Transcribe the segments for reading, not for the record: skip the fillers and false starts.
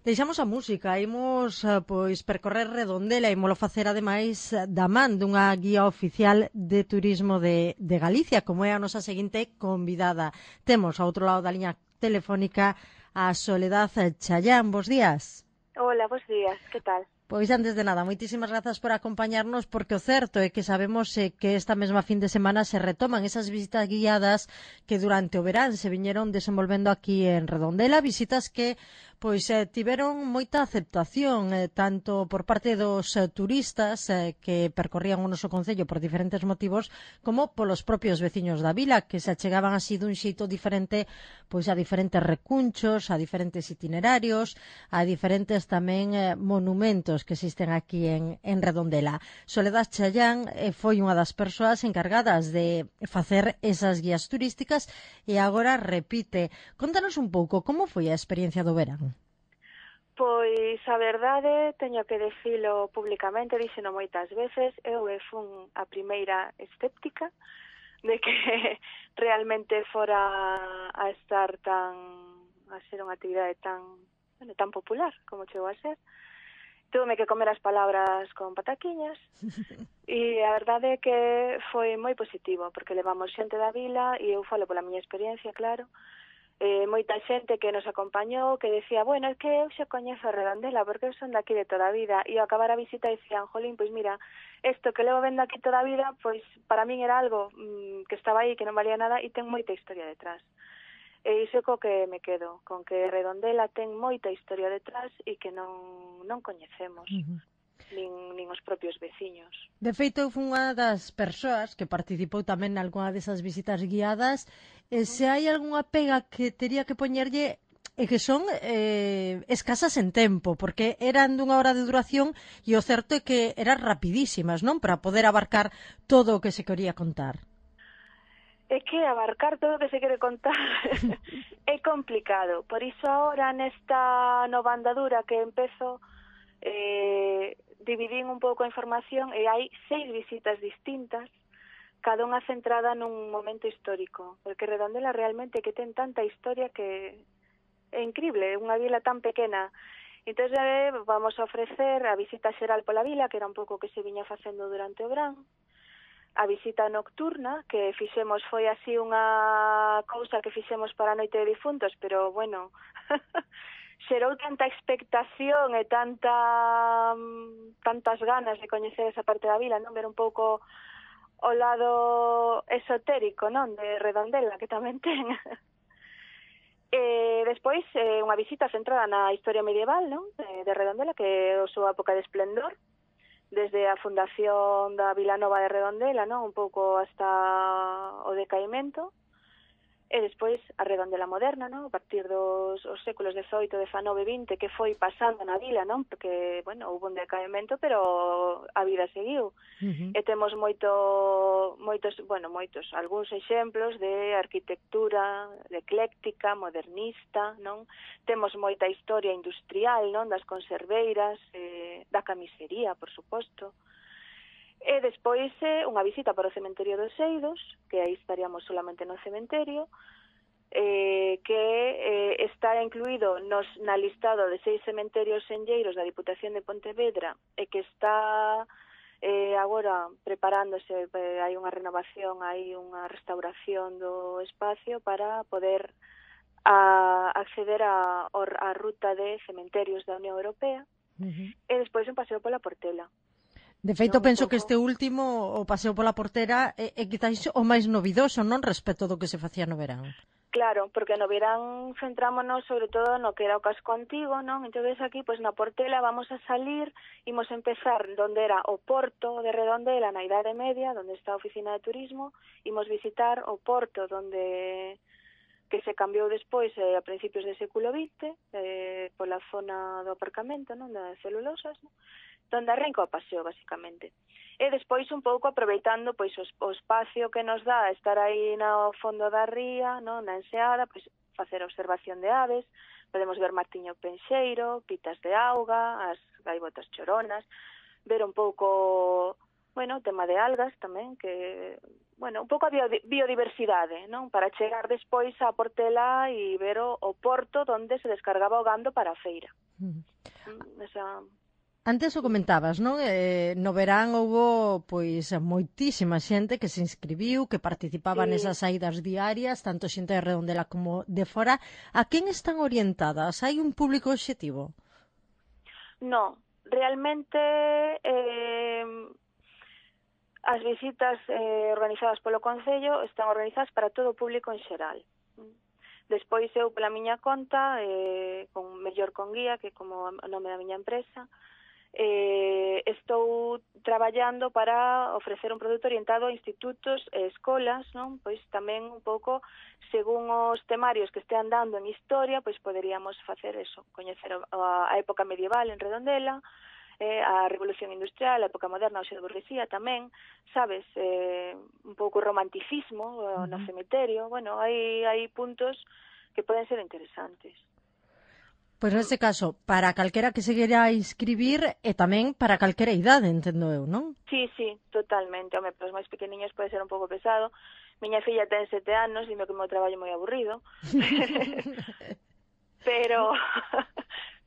Deixamos a música, imos pois percorrer Redondela e imolo facer ademais da man dunha guía oficial de turismo de Galicia, como é a nosa seguinte convidada. Temos ao outro lado da liña telefónica a Soledad Chayán. Bos días. Hola, bos días, que tal? Pois antes de nada, moitísimas grazas por acompañarnos, porque o certo é que sabemos que esta mesma fin de semana se retoman esas visitas guiadas que durante o verán se viñeron desenvolvendo aquí en Redondela, visitas que pois tiveron moita aceptación, tanto por parte dos turistas que percorrían o noso concello por diferentes motivos, como polos propios veciños da vila, que se achegaban así dun xeito diferente pois a diferentes recunchos, a diferentes itinerarios, a diferentes tamén monumentos que existen aquí en Redondela. Soledad Chayán foi unha das persoas encargadas de facer esas guías turísticas e agora repite. Contanos un pouco como foi a experiencia do verán. Pois a verdade, teño que dicilo publicamente, díxeno moitas veces, eu fun a primeira escéptica de que realmente fora a estar a ser unha actividade tan popular como chegou a ser. Tuve que comer as palabras con pataquiñas e a verdade é que foi moi positivo, porque levamos xente da vila e eu falo pola miña experiencia, claro, moita xente que nos acompañou que decía, bueno, é que eu xa coñezo a Redondela porque eu son daqui de toda a vida, e ao acabar a visita dicían, jolín, pois mira, isto que levo vendo aquí toda a vida, pois para min era algo que estaba aí, que non valía nada e ten moita historia detrás. E iso co que me quedo, con que Redondela ten moita historia detrás e que non coñecemos. Nin os propios veciños. De feito, eu fui unha das persoas que participou tamén nalgúna desas visitas guiadas, e se hai algunha pega que tería que poñerlle é que son escasas en tempo, porque eran dunha hora de duración e o certo é que eran rapidísimas, non? Para poder abarcar todo o que se quería contar. É que abarcar todo o que se quere contar é complicado. Por iso agora nesta nova andadura que empezo dividín un pouco a información e hai 6 visitas distintas, cada unha centrada nun momento histórico, porque Redondela realmente que ten tanta historia que é increíble, unha vila tan pequena. Entón vamos a ofrecer a visita xeral pola vila, que era un pouco que se viña facendo durante o verán, a visita nocturna, que fixemos foi así unha cousa que fixemos para a noite de difuntos, pero bueno, xerou tanta expectación e tantas ganas de coñecer esa parte da vila, non, ver un pouco o lado esotérico, non, de Redondela, que tamén ten. Despois, unha visita centrada na historia medieval, non, de Redondela, que é a súa época de esplendor, desde a fundación da Vila Nova de Redondela, non, un pouco hasta o decaimento. E despois a Redondela moderna, non? A partir dos séculos XVIII, XIX e XX, que foi pasando na vila, non? Porque, bueno, houve un decaimento, pero a vida seguiu. E temos algúns exemplos de arquitectura, de ecléctica, modernista, non? Temos moita historia industrial, non? Das conserveiras, da camisería, por suposto. E despois unha visita para o cementerio dos Eidos, que aí estaríamos solamente no cementerio, que está incluído na listado de 6 cementerios senlleiros da Diputación de Pontevedra e que está agora preparándose, hai unha renovación, hai unha restauración do espacio para poder acceder á ruta de cementerios da Unión Europea, e despois un paseo pola Portela. De feito, penso que este último, o paseo pola Portera, é quizáis o máis novidoso, non, respecto do que se facía no verán. Claro, porque no verán centrámonos sobre todo no que era o casco antigo, non? Entonces aquí, pois na Portela vamos a salir, imos empezar donde era o porto de Redondela na Idade Media, donde está a oficina de turismo, imos visitar o porto que se cambiou despois a principios do século XX, pola zona do aparcamento, non, das celulosas, non? Donde arranca o paseo, basicamente. E despois un pouco aproveitando pois o espacio que nos dá estar aí no fondo da ría, non, na enseada, pois facer observación de aves, podemos ver martiño penxeiro, pitas de auga, as gaivotas choronas, ver un pouco bueno, o tema de algas tamén, que, bueno, un pouco a biodiversidade, non? Para chegar despois a Portela e ver o porto onde se descargaba o gando para a feira. Esa... Antes o comentabas, non? No verán houbo pois moitísima xente que se inscribiu, que participaba Sí. nesas saídas diarias, tanto xente de Redondela como de fora. A quen están orientadas? Hai un público obxectivo? No, realmente as visitas organizadas polo Concello están organizadas para todo o público en xeral. Despois eu, pola miña conta, con mellor con guía, que como o nome da miña empresa, estou traballando para ofrecer un produto orientado a institutos e escolas, non? Pois tamén un pouco según os temarios que estean dando en historia, pois poderíamos facer eso, coñecer a época medieval en Redondela, a Revolución Industrial, a época moderna, o xe de burguesía tamén, sabes, un pouco romanticismo no cemiterio, bueno, hai puntos que poden ser interesantes. Pois neste caso, para calquera que se queira inscribir e tamén para calquera idade, entendo eu, non? Sí, totalmente. Home, para os máis pequeniños pode ser un pouco pesado. Miña filla ten 7 anos, dime que o meu traballo é moi aburrido. pero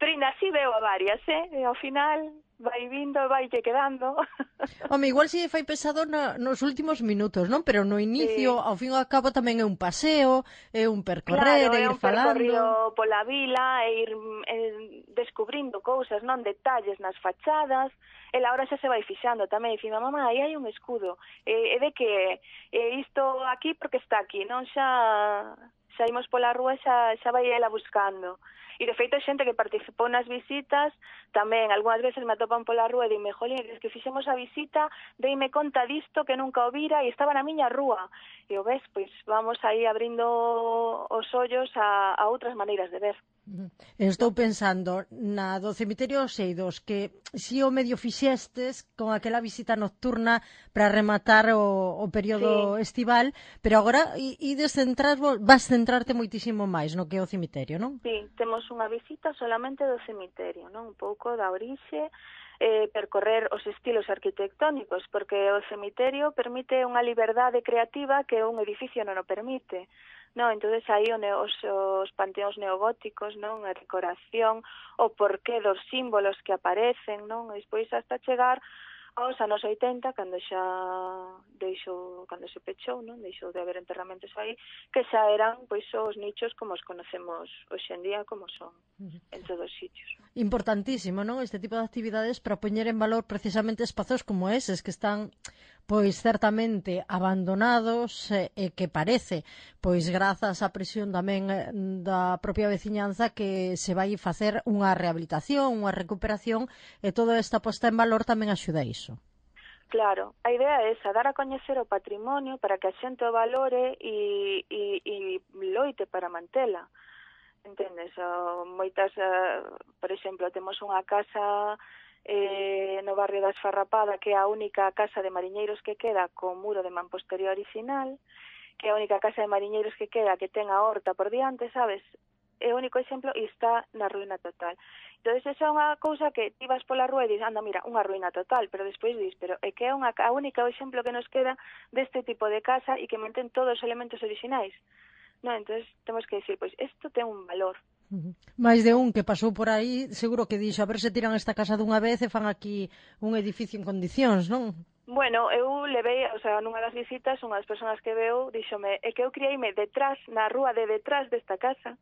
ainda así veo a varias, E ao final vai vindo, vai que quedando. Home, igual si fai pesado nos últimos minutos, non? Pero no inicio, Sí. ao fin e ao cabo, tamén é un paseo, é un percorrer, Claro, é é ir un falando. percorrido pola vila e ir descubrindo cousas, non, detalles nas fachadas. Ela ahora xa se vai fixando tamén, dicindo, mamá, aí hai un escudo, e de que isto aquí porque está aquí, non? Xa imos pola rúa, xa vai ela buscando. E de feito, xente que participou nas visitas tamén, algunhas veces me atopan pola rúa e dime, jolín, es que fixemos a visita, deime conta disto que nunca o vira e estaba na miña rúa. E o ves, pois vamos aí abrindo os ollos a outras maneiras de ver. Estou pensando na do cemiterio dos Eidos, que si o medio fixestes con aquela visita nocturna para rematar o período estival, pero agora vas centrarte moitísimo máis no que é o cemiterio, non? Sí, temos unha visita solamente do cemiterio, non? Un pouco da orixe, percorrer os estilos arquitectónicos, porque o cemiterio permite unha liberdade creativa que un edificio non o permite. No, entonces aí os panteóns neogóticos, non, a decoración, o porqué dos símbolos que aparecen, non, e despois hasta chegar aos anos 80, cando se pechou, non, deixou de haber enterramentos aí, que xa eran, pois, os nichos como os conocemos hoxe en día, como son en todos os sitios. Importantísimo, non? Este tipo de actividades para poñer en valor precisamente espazos como eses que están pois certamente abandonados e que parece, pois grazas á presión tamén da propia veciñanza que se vai facer unha rehabilitación, unha recuperación e toda esta posta en valor tamén axuda a iso. Claro, a idea é esa, dar a coñecer o patrimonio para que a xente o valore e loite para mantela. Entendes? Moitas, por exemplo, temos unha casa no barrio da Esfarrapada, que é a única casa de mariñeiros que queda co muro de mampostería original, que é a única casa de mariñeiros que queda que ten a horta por diante, sabes? É o único exemplo e está na ruína total. Entón, esa é unha cousa que ti vas pola rúa e dis, anda, mira, unha ruína total, pero despois dis, pero é que é a única exemplo que nos queda deste tipo de casa e que mantén todos os elementos orixinais. No, entonces temos que decir, pois, isto ten un valor. Mais de un que pasou por aí, seguro que dixo, a ver se tiran esta casa dunha vez e fan aquí un edificio en condicións, non? Bueno, eu levei, o sea, nunha das visitas, unha das persoas que veu, díxome, é que eu criei-me detrás, na rúa de detrás desta casa,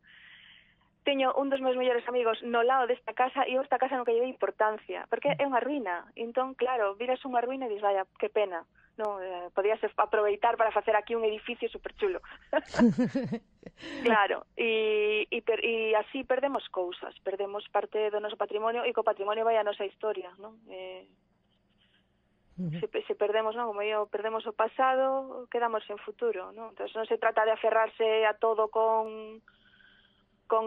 teño un dos meus mellores amigos no lado desta casa e eu esta casa non que lle dei importancia, porque é unha ruína. Entón, claro, viras unha ruína e dis, vaya, que pena. Non, podías aproveitar para facer aquí un edificio superchulo. Claro, e así perdemos cousas, perdemos parte do noso patrimonio e co patrimonio vai a nosa historia, non? Se perdemos, non, como eu, perdemos o pasado, quedamos sen futuro, non? Entón non se trata de aferrarse a todo con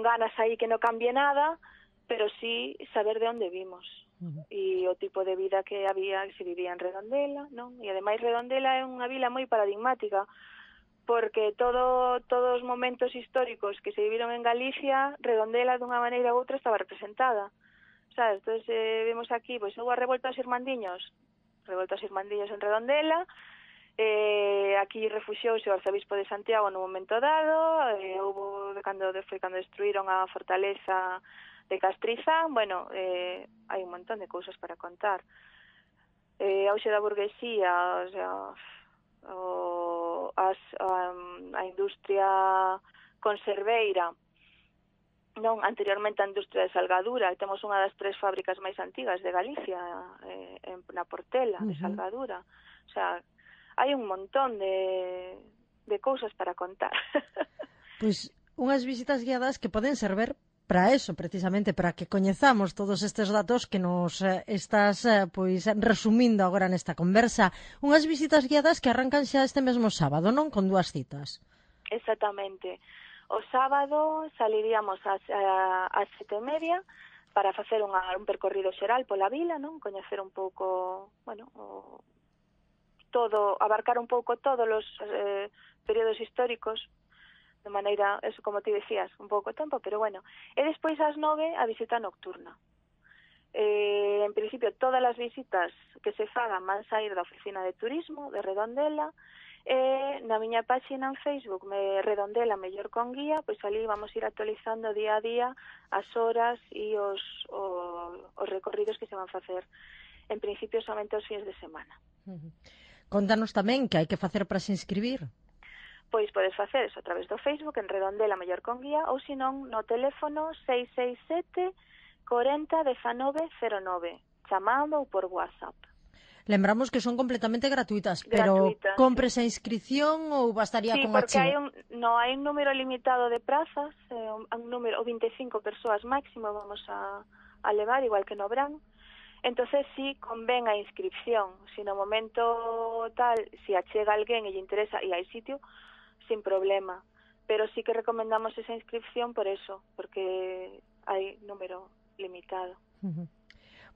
ganas aí que non cambie nada, pero sí saber de onde vimos e o tipo de vida que se vivía en Redondela, non? E ademais Redondela é unha vila moi paradigmática, porque todos os momentos históricos que se viviron en Galicia, Redondela dunha maneira ou outra estaba representada. Sabes? Entón, vemos aquí, pois, houve a revolta dos irmandiños, revoltas irmandillas en Redondela. Aquí refuxiouse o arzobispo de Santiago no momento dado, houve cando destruíron a fortaleza de Castrizán. Bueno, hai un montón de cousas para contar. Auxe da burguesía, o sea, a industria conserveira, non, anteriormente a industria de salgadura, temos unha das 3 fábricas máis antigas de Galicia, na Portela, de salgadura. O sea, hai un montón de cousas para contar. Pois unhas visitas guiadas que poden servir para eso, precisamente, para que coñezamos todos estes datos que nos estás pois resumindo agora nesta conversa. Unhas visitas guiadas que arrancan xa este mesmo sábado, non? Con 2 citas. Exactamente. O sábado saliríamos ás 7:30 para facer un percorrido xeral pola vila, non? Coñecer un pouco, bueno, abarcar un pouco todos os períodos históricos, de maneira, eso como ti decías, un pouco tempo, pero bueno. E despois ás 9 a visita nocturna. En principio, todas as visitas que se fagan van sair da oficina de turismo de Redondela, na miña páxina en Facebook, Redondela Mellor con Guía, pois ali vamos ir actualizando día a día as horas e os recorridos que se van facer. En principio, somente os fins de semana. Contanos tamén que hai que facer para se inscribir. Pois podes facer eso a través do Facebook en Redondela Mellor con Guía ou senón no teléfono 667 40 19 09, chamando ou por WhatsApp. Lembramos que son completamente gratuitas, pero compres a inscripción ou bastaría con archivo? Sí, porque hai un número limitado de prazas, un número, 25 persoas máximo vamos a levar, igual que no Bran. Entonces sí convén a inscripción. Si no momento tal, si achega alguén e lle interesa e hai sitio, sin problema, pero sí que recomendamos esa inscripción por eso, porque hai número limitado.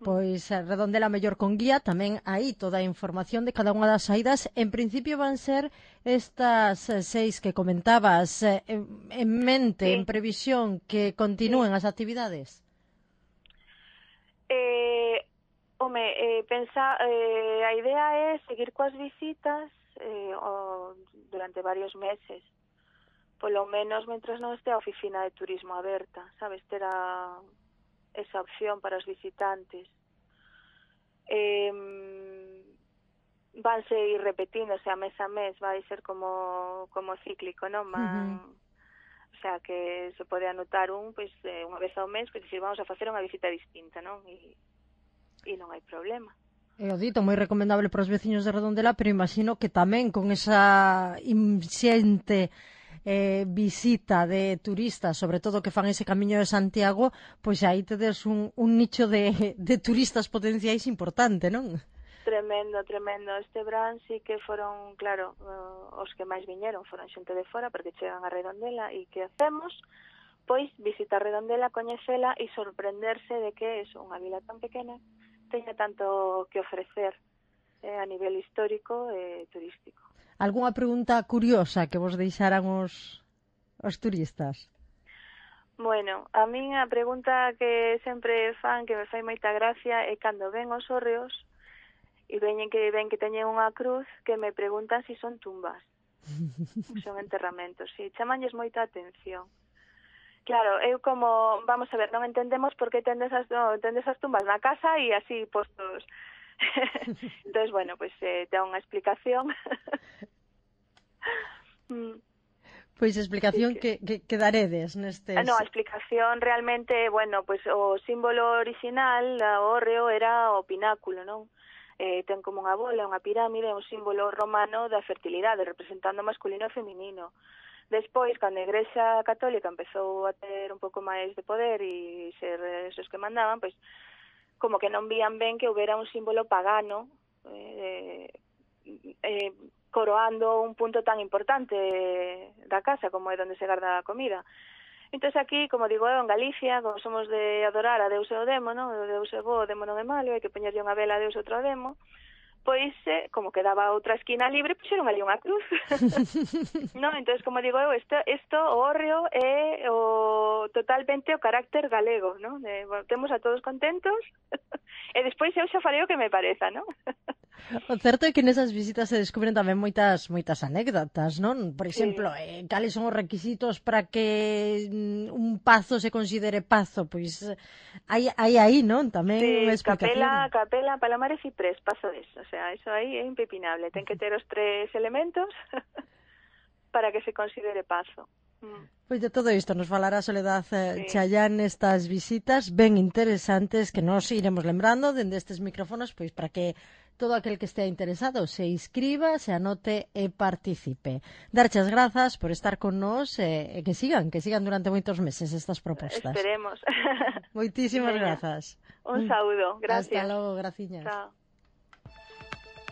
Pois Redondela Mellor con Guía, tamén aí toda a información de cada unha das saídas. En principio van ser estas 6 que comentabas, en mente, en previsión, que continúen as actividades. A idea é seguir coas visitas durante varios meses, polo menos mentras non este a oficina de turismo aberta, sabes, ter esa opción para os visitantes. Vanse ir repetíndose a mes, vai ser como cíclico, non? O sea, que se pode anotar pois, unha vez ao mes, pois dicir, vamos a facer unha visita distinta, non? E non hai problema. É o dito, moi recomendable para os veciños de Redondela, pero imagino que tamén con esa inxente visita de turistas, sobre todo que fan ese camiño de Santiago, pois aí tedes un nicho de turistas potenciais importante, non? Tremendo. Este Bran sí que foron, claro, os que máis viñeron foron xente de fora, porque chegan a Redondela e que hacemos? Pois visitar Redondela, coñecela e sorprenderse de que é unha vila tan pequena teña tanto que ofrecer a nivel histórico e turístico. Algúnha pregunta curiosa que vos deixaran os turistas? Bueno, a min a pregunta que sempre fan, que me fai moita gracia, é cando ven os hórreos e ven que teñen unha cruz, que me preguntan se son tumbas. Son enterramentos, si, chamanlles moita atención. Claro, eu como, vamos a ver, non entendemos por que tendes as tumbas na casa e así postos. Entón, bueno, pues ten unha explicación. Pois explicación que daredes nestes... No, a explicación realmente, bueno, pues o símbolo original, o hórreo, era o pináculo, non? Ten como unha bola, unha pirámide, un símbolo romano da fertilidade, representando masculino e feminino. Despois, cando a Igrexa Católica empezou a ter un pouco máis de poder e ser esos que mandaban, pois como que non vían ben que houbera un símbolo pagano coroando un punto tan importante da casa como é onde se garda a comida. Entón aquí, como digo eu, en Galicia, como somos de adorar a Deus e o demo, non? O Deus é bo, o demo non é malo, hai que poñerlle unha vela a Deus e outro demo. Pois, como quedaba outra esquina libre, puxeron ali unha cruz. Non, entón, como digo eu, isto, o hórreo é totalmente o carácter galego, non? Temos a todos contentos, e despois eu xa farei o que me pareza, non? O certo é que nesas visitas se descubren tamén moitas anécdotas, non? Por Sí. exemplo, cales son os requisitos para que un pazo se considere pazo? Pois hai aí, non? Tamén unha Sí, explicación. capela, palomar e ciprés, paso eso. O sea, eso aí é impepinable. Ten que ter os 3 elementos para que se considere pazo. Pois de todo isto nos falará Soledad Sí. Chayán nestas visitas ben interesantes que nos iremos lembrando dende estes micrófonos pois para que todo aquel que estea interesado se inscriba, se anote e participe. Darche as grazas por estar con nós e que sigan durante moitos meses estas propostas. Esperemos. Moitísimas Veña. grazas. Un saúdo, gracias. Hasta logo, graciñas. Chao.